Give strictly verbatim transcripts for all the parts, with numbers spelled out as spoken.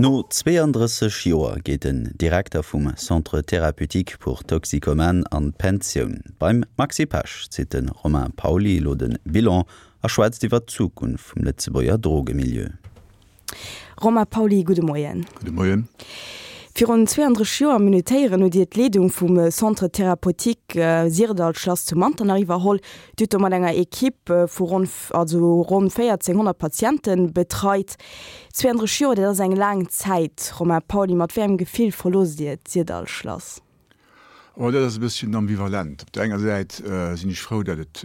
No zweeëndrësseg Joer geet den Direkter vum Centre thérapeutique pour toxicomanes an d'Pensioun. Beim Maxi Pesch zitt de Romain Pauly elo de Bilan a schwätzt iwwer d'Zukunft vum Lëtzebuerger Drogemilieu. Romain Pauly, gudde Moien. Gudde Moien. Virun zweeëndrësseg Joer minutéieren hutt Dir d'Leedung vum Centre thérapeutique Syrdall-Schlass zu Manternach iwwerholl. Dir hutt do mat enger Equipe vu ronn, also ronn véierzénghonnert Patiente betreit. Zweeëndrësseg Joer, dat ass eng laang Zäit. Romain Pauly, mat wéi engem Gefill verloosst Dir d'Syrdall-Schlass? Oh, dat ass e bësschen ambivalent. Op der enger Säit sinn ech frou, datt et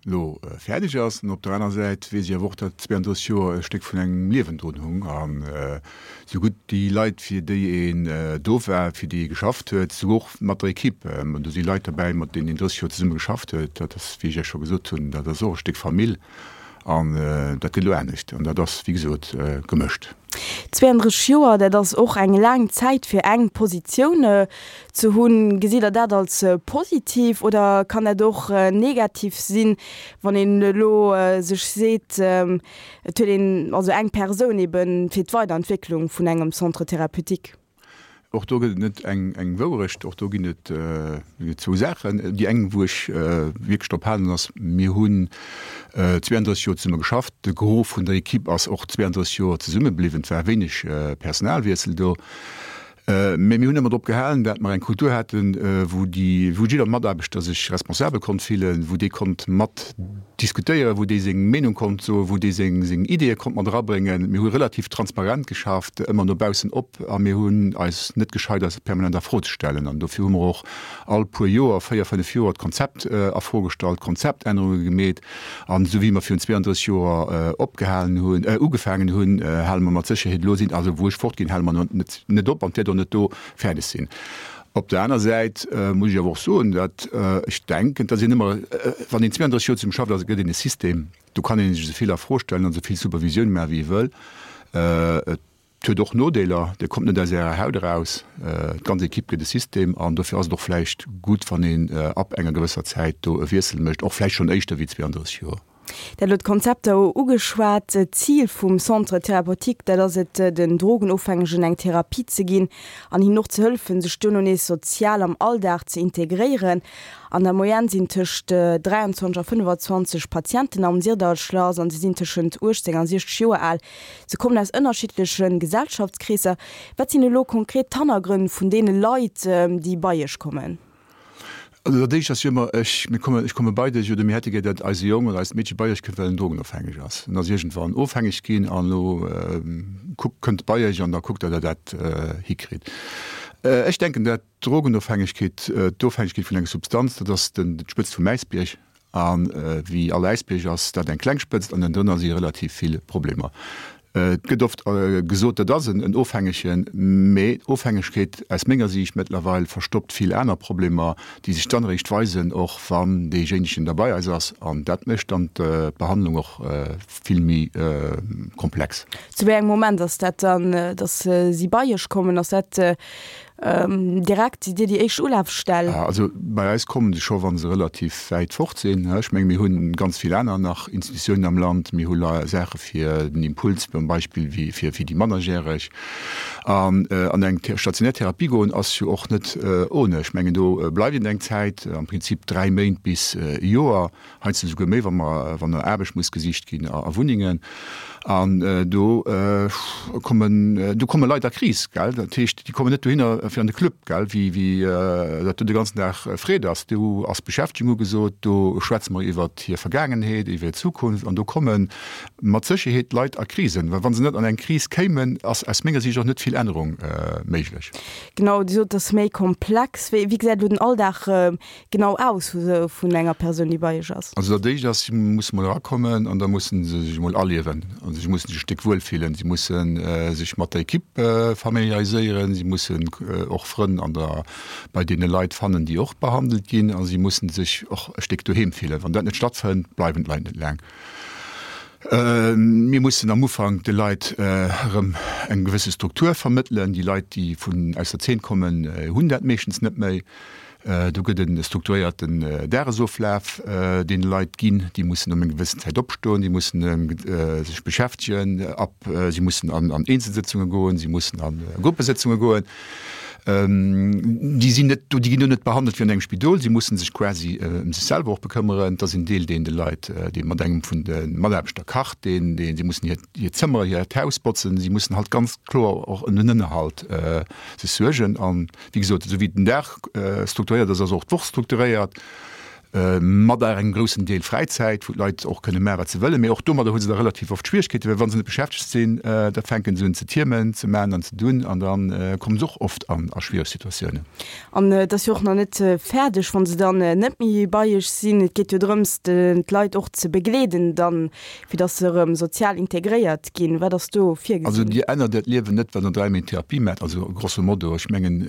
elo fäerdeg ass, an op der aner Säit weess ech awer och, datt zweeëndrësseg Joer e Stéck vun engem Liewen drun hung. An esou gutt déi Leit, fir déi een do war, fir déi ee geschafft huet, esou och mat der Equipe, do si Leit derbäi, mat deenen een drësseg Joer zesumme geschafft huet, dat ass, wéi ech Iech scho gesot hunn, dat ass och e Stéck Famill. An dat gëtt elo anescht. An dat ass, wéi gesot, gemëscht. Zweeëndrësseg Joer, dat ass och eng laang Zäit fir eng Positioun ze hunn. Gesitt Der dat als positiv oder kann dat och negativ sinn, wann een elo sech seet, et huet een also eng Persoun ebe fir d'Weiderentwécklung vun engem Centre thérapeutique? Och do gëtt et net eng Wourecht, och do ginn et zwou Saachen. Déi eng, wou ech wierklech drop halen, ass, mir hunn zweeëndrësseg Joer zesumme geschafft. De Gros vun der Equipe ass och zweeëndrësseg Joer zesumme bliwwen. Et war wéineg Personalwiessel do. Mä mir hunn ëmmer drop gehalen, dat mer eng Kultur haten, wou déi, wou jidder Mataarbechter sech responsabel konnt fillen, wou dee konnt mat diskutéieren, wou dee seng Meenung konnt soen, wou dee seng, seng Ideeë konnt mat erabréngen. Mir hu relativ transparent geschafft, ëmmer no baussen op, a mir hunn eis net gescheit, eis permanent a Fro ze stellen. An dofir hu mer och all puer Joer, véier, fënnef Joer, d'Konzept a Fro gestallt, Konzeptännerunge gemeet. An esou wéi mer virun zweeëndrësseg Joer opgehalen hunn, ugefaangen hunn, hale mer mat Sécherheet elo sinn, also wou ech fortginn, hale mer net, net op an et wäert och net do fäerdeg sinn. Op der aner Säit muss ech awer och soen, datt ech denken, et ass een ëmmer, wann een zweeëndrësseg Joer zesumme schafft, ass, gëtt een e System, do kann ee sech esou vill a Fro stellen an esou vill Supervisioun maachen, wéi ee wëll. Et huet och Nodeeler, Dir kommt net aus Ärer Haut eraus, d'ganz Equipe gëtt e System an dofir ass et och vläicht gutt, wann een ab enger gewësser Zäit do e Wiessel mécht, och vläicht schonn éischter wéi zweeëndrësseg Joer. Dir hat elo d'Konzepter ugeschwat. D'Zil vum Centre thérapeutique, dat ass et, den Drogenofhängegen eng Therapie ze ginn an hinnen och ze hëllefen, sech duerno nees sozial am Alldag ze integréieren. An der Moyenne sinn tëscht dräianzwanzeg a fënnefazwanzeg Patienten am Syrdallschlass an se sinn tëschent uechtzéng a siechzeg Joer al. Se kommen aus ënnerschiddleche Gesellschaftskreesser. Wat sinn elo konkret d'Hannergrënn vun deene Leit, déi bei Iech kommen? Also dat éischt ass jo ëmmer, ech, mir kommen, ech komme bei dech oder mir hätte gär, datt eise Jong oder eist Meedche bei iech kënnt, well en drogenofhängeg ass. En ass iergendwann ofhängeg ginn an elo kuckt, kënnt bei iech an da kuckt, datt der dat hikritt. Ech denken, dat d'Drogenofhängegkeet, d'Ofhängegkeet vun enger Substanz, dat ass den, d'Spëtzt vum Äisbierg. A wéi all Äisbierg ass dat eng kleng Spëtzt an ënnendrënner si relativ vill Problemer. Et gëtt oft gesot, dat ass en Ofhängegen, mee d'Ofhängegkeet aus menger Siicht mëttlerweil verstoppt vill aner Problemer, déi sech dann eréischt weisen, och wann deejéinegen da bei eis ass. An dat mécht dann d'Behandlung och vill méi komplex. Zu wéi engem Moment ass dat dann, datt si bei Iech kommen? Ass dat Direkt, sidd Dir déi éischt Ulafstell? Also bei eis kommen se scho wa se relativ wäit fort sinn. Ech menge mir hu ganz vill aner nach Institutiounen am Land. Mir hu Saache fir den Impuls zum Beispill wéi fir déi Mannerjäreg. An an eng stationär Therapie goen ass jo och net ohne. Ech mengen do bleift een eng Zäit, am Prinzip dräi Méint bis e Joer. Heiansdo esouguer méi, wa mer, wann no Aarbecht muss gesicht ginn a Wunnengen. An do kommen, do komme Leit a Kris, gell. Dat heescht, déi kommen net dohinner fir an de Club, gell, wéi, wéi dat do de ganzen Dag Freed ass. Do ass Beschäftegung ugesot, do schwätze mer iwwert hir Vergaangenheet, iwwer hir Zukunft an do komme mat Sécherheet Leit a Krisen. Well wa se net an eng Kris kéimen, ass aus menger Siicht och net vill Ännerung méiglech. Genau, Dir sot, et ass méi komplex. Wéi, wéi gesäit elo den Alldag genau aus vun enger Persoun, déi bei Iech ass? Also dat éischt ass, si musse mol erakommen an da musse se sech emol aliewen. Also si musse sech e Stéck wuel fillen, si musse sech mat der Equipe familiariséieren, si mussen och Frënn an der, bei deene Leit fannen, déi och behandelt ginn a si musse sech och e Stéck doheem fillen. Wann dat net stattfënnt, bleiwen d'Leit net laang. Mir mussen am Ufank de Leit erëm eng gewësse Struktur vermëttelen. Déi Leit, déi vun aus der Zeen kommen, hunn dat meeschtens net méi. Do gëtt e strukturéierten Dagesoflaf deene Leit ginn. Déi mussen ëm eng gewëssen Zäit opstoen, déi mussen sech beschäftegen, ab si mussen an Eenzelsëtzunge goen, si mussen a Gruppesëtzunge goen. Déi sinn net do, déi ginn do net behandelt wéi an engem Spidol. Si mussen sech quasi ëm sech selwer och bekëmmeren. Et ass en Deel, deen de Leit, dee mat engem vun de Mataarbechter kacht, deen, deen, si mussen hiert, hiert Zëmmer, hiert Haus botzen. Si mussen halt ganz kloer och ëm den Ënnerhalt sech suergen. An, wéi gesot, esou wéi den Dag strukturéiert ass, ass och d'Woch strukturéiert. Mat engem groussen Deel Fräizäit, wou d'Leit och kënne maachen, wat se wëllen. Mee och domadder hu se da relativ oft Schwieregkeeten, well wa se net beschäftegt sinn, da fänke se un ze tiermen, ze maachen an ze dunn an da komme se och oft an a schwiereg Situatiounen. An et ass jo och nach net fäerdeg, wa se dann net méi bei Iech sinn. Et geet jo drëms, d'Leit och ze begleeden dann, fir datt se erëm sozial integréiert ginn. Wat ass do virgesinn? Also Dir ännert Äert Liewen net, wann Der dräi Méint Therapie maacht, also grosso modo. Ech mengen,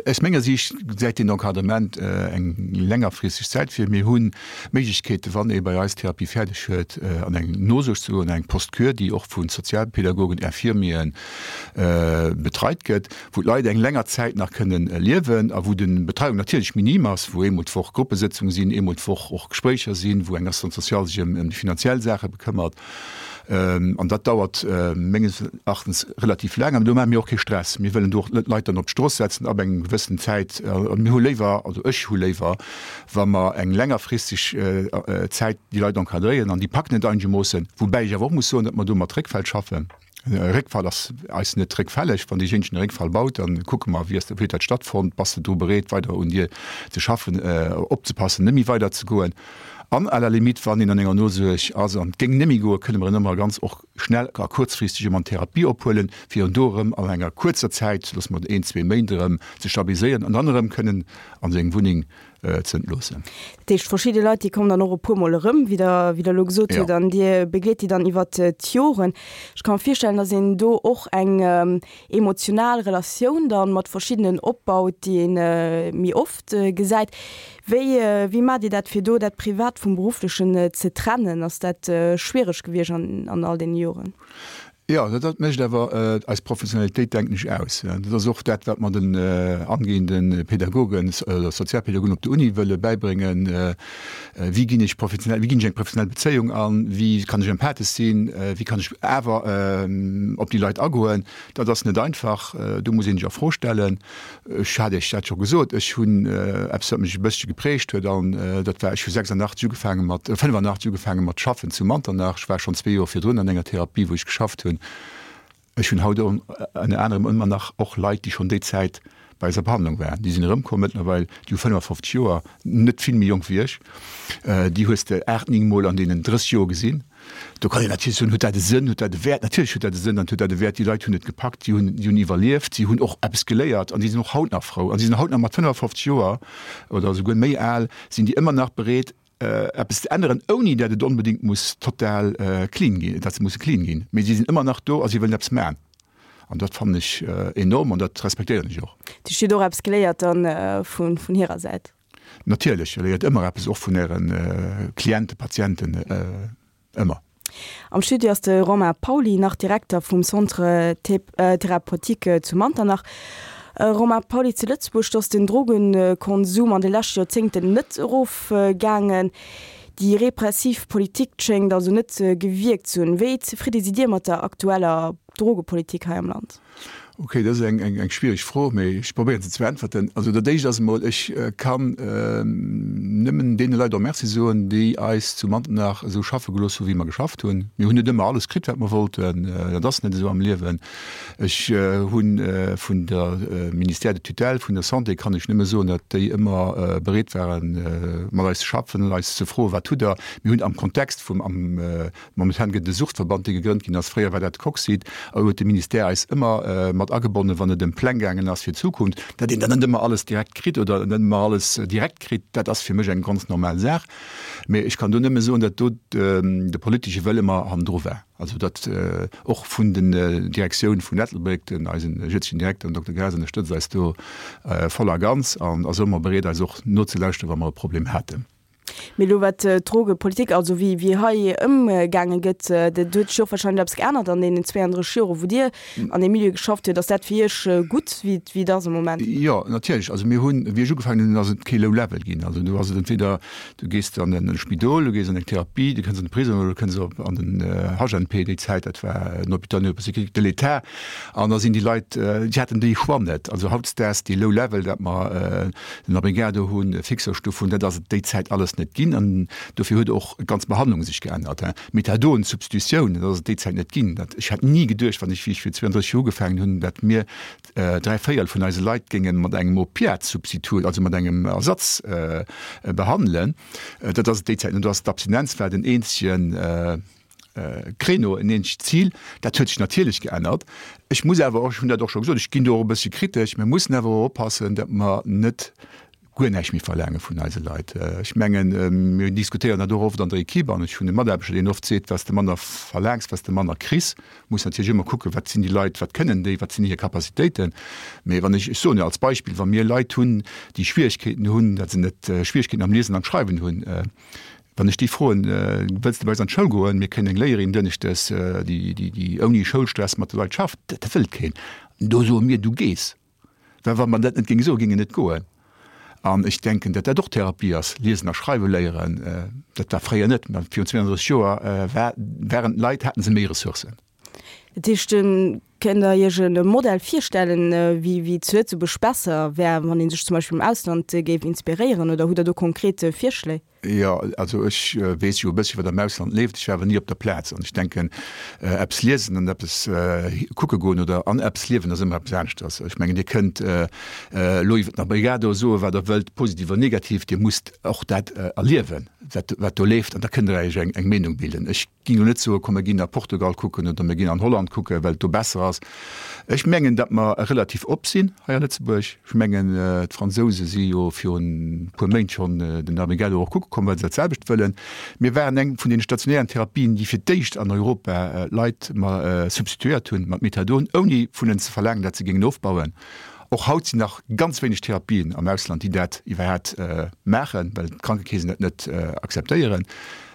aus menger Siicht gesäit deen Encadrement eng längerfristeg Zäit vir. Mir hunn Méiglechkeeten, wann ee bei eis d'Therapie fäerdeg huet, an eng Nosuerg ze goen, an eng Post-Cure, déi och vu Sozialpädagogen, Infirmieren betreit gëtt, wou d'Leit eng länger Zäit nach kënnen liewen a wou de Betreiung natierlech minim ass, wou eemol d'Woch Gruppesëtzunge sinn, eemol d'Woch och Gespréicher sinn, wou eng Assistante sociale sech ëm déi finanziell Saache bekëmmert. An dat dauert menges Erachtens relativ laang. An do maache mir och kee Stress. Mir wëllen do och net d'Leit dann op d'Strooss setzen ab engem gewëssenen Zäit. Mir hu léiwer, also ech hu léiwer, wa mer eng längerfristeg Zäit déi Leit encadréieren an déi packen et einegermoossen. Woubäi ech awer och muss soen, datt mer do mat Réckfäll schaffen. E Réckfall ass eis net réckfälleg. Wann deejéinegen e Réckfall baut, da kucke mer, wéi ass, wéi huet dat stattfonnt, bass de dru bereet, weider un dir ze schaffen, opzepassen, net méi weider ze goen. An à la limite, wann een an enger Nosuerg ass an et géing net méi goen, kënne mer en ëmmer ganz och schnell a kuerzfristeg erëm an Therapie ophuelen, fir en do erëm an enger kuerzer Zäit, loosse mer een, zwee Méint, erëm ze stabiliséieren an dann erëm kënnen a seng Wunneng ze entloossen. Dat heescht, verschidde Leit, déi kommen dann och e puermol erëm, wéi Der, wéi Der elo gesot hutt, an Dir begleet déi dann iwwert d'Joren. Ech ka mer virstellen, datt een do och eng emotional Relatioun dann mat verschiddenen opbaut, déi ee méi oft gesäit. Wéi, wéi maacht Dir dat, fir do dat Privat vum Berufflechen ze trennen? Ass dat schwiereg gewiescht an, an all deene Joren? Jo, dat, dat mécht awer eis Professionalitéit, denken ech, aus. Dat ass och dat, wat mer den angehende Pädagogen oder Sozialpädagogen op der Uni wëlle bäibréngen, Wéi ginn ech professionell, wéi ginn ech eng professionell Bezéiung an? Wéi kann ech empathesch sinn? Wéi kann ech awer op déi Leit agoen? Dat ass net einfach, do muss ee sech a Fro stellen. Ech hat Iech dat scho gesot, ech hunn eppes, wat mech e bëssche geprägt huet, an dat war, ech hu sechsundachtzeg ugefaange mat, fënnefandachtzeg ugefaange mat schaffen zu Manternach. Ech war schonn zwee Joer virdrun an enger Therapie, wou ech geschafft hunn. Ech hunn haut ënner anerem ëmmer nach och Leit, déi schonn déi Zäit bei eiser Behandlung waren. Déi sinn erëmkomm mëttlerweil, déi hu fënnefafofzeg Joer, net vill méi jonk wéi ech. Déi hues de aacht, néng Mol an deenen drësseg Joer gesinn. Do kann een natierlech soen, huet dat e Sënn, huet dat e Wäert? Natierlech huet dat e Sënn an huet dat e Wäert. Déi Leit hunn et gepackt, si hunn, si hunn iwwerlieft, si hunn och eppes geléiert an si sinn och haut nach frou. An si sinn haut nach mat fënnefafofzeg Joer oder esouguer méi al, sinn déi ëmmer nach bereet, eppes ze änneren, ouni dat et onbedéngt muss total clean ginn, dat se musse clean ginn. Mee si sinn ëmmer nach do a si wëllen eppes maachen. An dat fannen ech enorm an dat respektéieren ech och. Du hutt och eppes geléiert dann vun hirer Säit? Natierlech, Dir léiert ëmmer eppes, och vun Äre Clienten, Patienten, ëmmer. Am Studio ass de Romain Pauly, nach Direkter vum Centre Thérapeutique zu Manternach. Romain Pauly, zu Lëtzebuerg, do ass den Drogenkonsum an de leschte Joerzéngten net erofgaangen. Déi repressiv Politik schéngt also net gewierkt ze hunn. Wéi zefridde sidd Dir mat der aktueller Drogepolitik hei am Land? Ok, dat ass eng eng schwiereg Fro, mee ech probéieren se ze beäntwerten. Also dat éischt ass emol, ech kann nëmmen deene Leit och Merci soen, déi eis zu Manternach esou schaffe gelooss hu wéi mer geschafft hunn. Mir hunn net ëmmer alles kritt, wat mer wollten, dat ass net esou am Liewen. Ech hu vun der Ministère de tutelle, vun der Santé kann ech nëmme soen, datt déi ëmmer bereet waren, mat eis ze schaffen an eis ze froen, wat hutt Der? Mir hunn am Kontext vum, am Momentan gëtt et e Suchtverband, dee gegrënnt ginn ass. Fréier war dat d'Coxit. A huet de Ministère eis ëmmer mat agebonnen, wann et ëm Pläng gaangen ass fir d'Zukunft. Datt een dann net ëmmer alles direkt kritt oder net ëmmer alles direkt kritt, dat ass fir mech eng ganz normal Saach. Mee ech kann do nëmme soen, datt do de politesche Wëll ëmmer hannendru war. Also datt och vun den Direktioun vun Ettelbréck, den eisen jëtzegen Direkter, den Dokter Graas, ënnerstëtzt eis do voll a ganz an ass ëmmer bereet, eis och nozelauschteren, wa mer e Problem haten. Mee elo wat d'Drogepolitik, also wéi wéi hei ëmgaange gëtt, dat huet sech jo och wahrscheinlech eppes geännert an deenen zweeëndrësseg Joren, wou Dir an deem Milieu geschafft hutt. Ass dat fir Iech gutt, wéi wéi et ass am Moment? Jo, natierlech. Also mir hunn, wéi ech ugefaangen hunn, ass et kee Low Level ginn. Also do ass et entweder du gees an e Spidol, du gees an eng Therapie, du kënns an de Prisong oder du kënns op an den H N P déi Zäit, dat war den Hôpital neuropsychiatrique de l'État. An da sinn déi Leit, déi haten déi Choix net. Also hautdesdaags dee Low Level, dat mer den Abrigado hunn, Fixerstuff hunn, dat ass et déi Zäit alles net ginn. An dofir huet och d'ganz Behandlung sech geännert. Methadon-Substitutioun, dat ass et déi Zäit net ginn. Dat, ech hätt ni geduecht, wann ech, wéi ech vir zweeëndrësseg Joer ugefaangen hunn, dat mir dräi Véierel vun eise Leit géinge mat engem Opiat-Substitut, also mat engem Ersatz behandelen. Dat ass et déi Zäit net. Do ass d'Abstinenz war den eenzegen Créneau, en eenzegt Zil. Dat huet sech natierlech geännert. Ech muss awer och, ech hunn dat och scho gesot, ech ginn do och e bëssche kritesch, mir mussen awer och oppassen, datt mer net guer näischt méi verlaange vun eise Leit. Ech mengen, mir diskutéieren dat och oft an der Equipe an ech hunn e Mataarbechter, deen oft seet, wat s de manner verlaangs, wat s de manner kriss. Muss natierlech ëmmer kucken, wat sinn déi Leit, wat kënnen déi, wat sinn hir Capacitéiten. Mee wann ech, ech soen jo als Beispill, wa mir Leit hunn, déi Schwierigkeeten hunn, datt se net Schwierigkeeten am Liesen an Schreiwen hunn, wann ech déi froen, wëlls de bei eis an d'Schoul goen, mir kréien eng Léierin dënneschdes, déi, déi, déi ouni Schoulstress mat de Leit schafft, dat wëllt keen. Do soe mir, du gees. Well wa mer dat net géinge soen, géing en net goen. An ech denken, datt dat och Therapie ass, Liesen a Schreiwe léieren. Dat war fréier net. Mä virun zweeëndrësseg Joer war, waren d'Leit, haten se méi Ressourcen. Dat heescht, kënnt Der Iech e Modell virstellen, wéi, wéi zu Lëtzebuerg besser wär, wann ee sech zum Beispill um Ausland géif inspiréieren, oder hutt Der do konkret Virschléi? Jo, also ech weess jo e bëssche wat am Ausland leeft, ech war awer ni op der Plaz. An ech denken, eppes liesen an eppes kucke goen oder an eppes liewen ass ëmmer eppes aneschters. Ech mengen, Dir kënnt elo iwwer den Abrigado soe wat Der wëllt, positiv oder negativ, Dir musst och dat erliewen, wat wat do leeft, an da kënnt Der Iech eng eng Meenung bilden. Ech géing elo net soen, komm mir ginn a Portugal kucken oder mir ginn an Holland kucken, well et do besser ass. Ech mengen, datt mer relativ op sinn hei a Lëtzebuerg. Ech mengen, d'Fransouse si jo virun e puer Méint schonn den Abrigado och kucke komm, well se dat selwecht wëllen. Mir waren eng vun deene stationären Therapien, déi fir d'éischt an Europa Leit substituéiert hunn mat Methadon, ouni vun hinnen ze verlaangen, datt se géingen ofbauen. Och haut sinn nach ganz wéineg Therapien am Ausland, déi dat iwwerhaapt maachen, well d'Krankekeesen dat net akzeptéieren.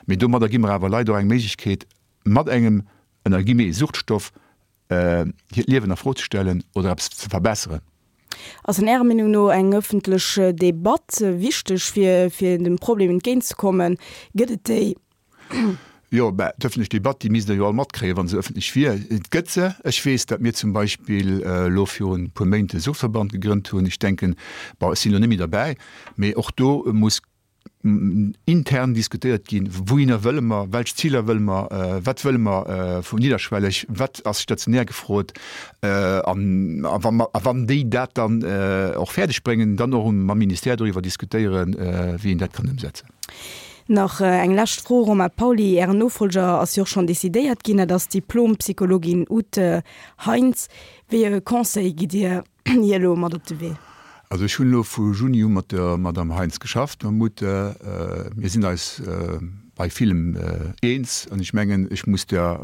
Mee domadder gi mer awer Leit och eng Méiglechkeet, mat engem, ënner guillemets, Suchtstoff hiert Liewen a Fro ze stellen oder eppes ze verbesseren. Ass an Ärer Meenung no eng ëffentlech Debatt wichteg, fir fir dem Problem entgéintzekommen? Gëtt et déi? Jo, mä d'ëffentlech Debatt, déi misst Der jo all matkréien, wa se ëffentlech wier. Et gëtt se. Ech weess, datt mir zum Beispill elo virun e puer Méint e Suchtverband gegrënnt hunn. Ech denken, bon, ech sinn elo net méi derbäi, mä och do muss intern diskutéiert ginn, wouhinner wëlle mer, welch Ziler wëlle mer, wat wëlle mer vun nidderschwelleg, wat ass stationär gefrot, an a wa a wann déi dat dann och fäerdeg bréngen, dann och mam Ministère doriwwer diskutéieren, wéi een dat kann ëmsetzen. Nach eng lescht Fro, Romain Pauly, Ären Nofolger ass jo och schonn decidéiert ginn, dat ass d'Diplom-Psychologin Ute Heinz. Wéi e Conseil gitt Dir hir elo mat op de Wee? Also ech hunn elo vu Juni u mat der Madame Heinz geschafft, mam Ute. Mir sinn eis bei villem eens an ech mengen, ech muss der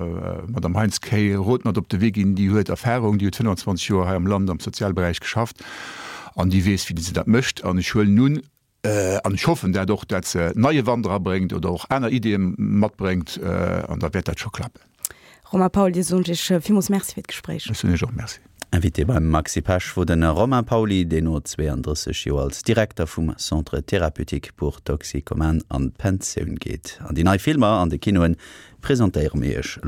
Madame Heinz kee Rot mat op de Wee ginn. Déi huet Erfahrung, déi huet fënnfanzwanzeg Joer hei am Land am Sozialberäich geschafft an déi weess, wéi se dat mécht. An ech huelen un, an ech hoffen dat och, dat se neie Wand erabréngt oder och aner Ideeë matbréngt an da wäert dat scho klappen. Romain Paul, Dir soen ech Iech villmools Merci fir d'Gespréich. Ech soen Iech och Merci. Invité beim Maxi Pesch wor de Romain Pauly, deen no zweeëndrësseg Joer als Direkter vum Centre thérapeutique pour toxicomanes an d'Pensioun geet. An déi nei Filmer an de Kinoen presentéiere mir Iech.